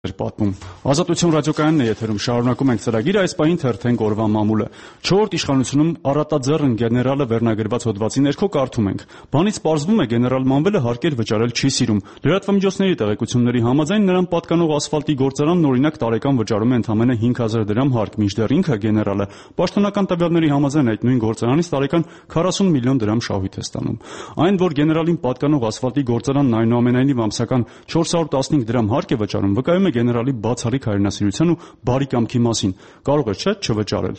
Պատմում։ Ազատություն ռադիոկայանն է եթերում, շարունակում ենք ծրագիրը, այս պահին թերթենք օրվա մամուլը։ 4-րդ իշխանությունում առատաձեռն գեներալը վերնագրված հոդվածի ներքո կարդում ենք. Բանից պարզվում է գեներալ Մանվելը հարկեր վճարել չի սիրում։ Լրատվամիջոցների տեղեկությունների համաձայն նրան պատկանող ասֆալտի գործարանն օրինակ տարեկան վճարում է ընդամենը 5000 դրամ հարկ, մինչդեռ ինքը գեներալը պաշտոնական տվյալների համաձայն այդ նույն գործարանից տարեկան 40 միլիոն դրամ շահույթ է ստանում։ Այն, որ գեներալին պատկանող ասֆալտի գործարանն այնուամենայնիվ ամսական 415 դրամ հարկ է վճարում, վկայում է գեներալի բացառիկ հայրենասիրության ու բարի կամքի մասին։ Կարող է չէ չվճարել,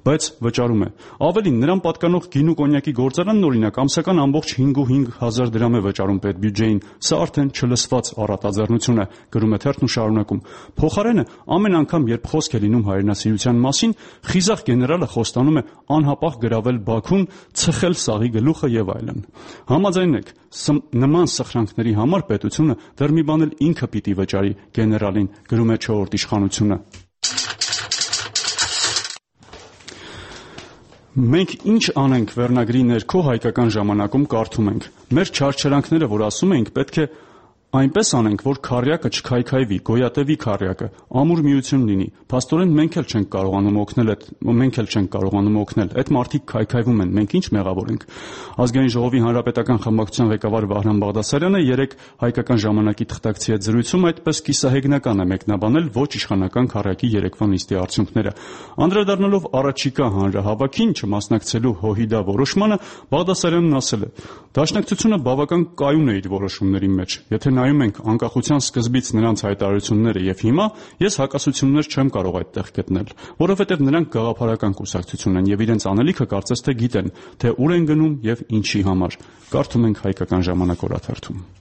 բայց վճարում է։ Ավելին, նրան պատկանող գինու կոնյակի գործարանն օրինակ ամսական ամբողջ 5,5 դրամ է վճարում պետբյուջեին։ Սա արդեն չլսված առատաձեռնություն է, գրում է թերթն ու շարունակում։ Փոխարենը ամեն անգամ, երբ խոսք է լինում հայրենասիրության մասին, խիզախ գեներալը խոստանում է անհապաղ գրավել Բաքուն, ցխել սաղի գլուխը եւ այլն։ Համաձայնեք, նման սխրանքների համար պետությունը դեռ մի բան էլ ինքը պիտի վճարի գեներալին, գրում է 4-րդ իշխանությունը։ Մենք ինչ անենք վերնագրի ներքո հայկական ժամանակում կարդում ենք. մեր չարչարանքները, որ ասում էինք, պետք է այնպես անենք, որ քառյակը չքայքայվի, գոյատևի քառյակը, ամուր միություն լինի։ Փաստորեն մենք էլ չենք կարողանում օգնել, այդ մարդիկ քայքայվում են, մենք ինչ մեղավոր ենք։ Ազգային ժողովի հանրապետական խմբակցության ղեկավար Վահրամ Բաղդասարյանը երեկ հայկական ժամանակի թղթակցի հետ զրույցում այդպես կիսահեգնական է մեկնաբանել ոչ իշխանական քառյակի երեկվա նիստի արդյունքները։ Անդրադառնալով առաջիկա հանրահավաքին չմասնակցելու ՀՅԴ որոշմանը, Բաղդասարյանն ասել է. «Դաշնակցությունը բավական կայուն է իր որոշումների մեջ։ Եթե նայում ենք անկախության սկզբից նրանց հայտարարությունները եւ հիմա, ես հակասություններ չեմ կարող այդտեղ գտնել, որովհետեւ նրանք գաղափարական կուսակցություն են եւ իրենց անելիքը կարծես թե գիտեն, թե ուր են գնում եւ ինչի համար»։ Կարդում ենք Հայկական ժամանակ օրաթերթում։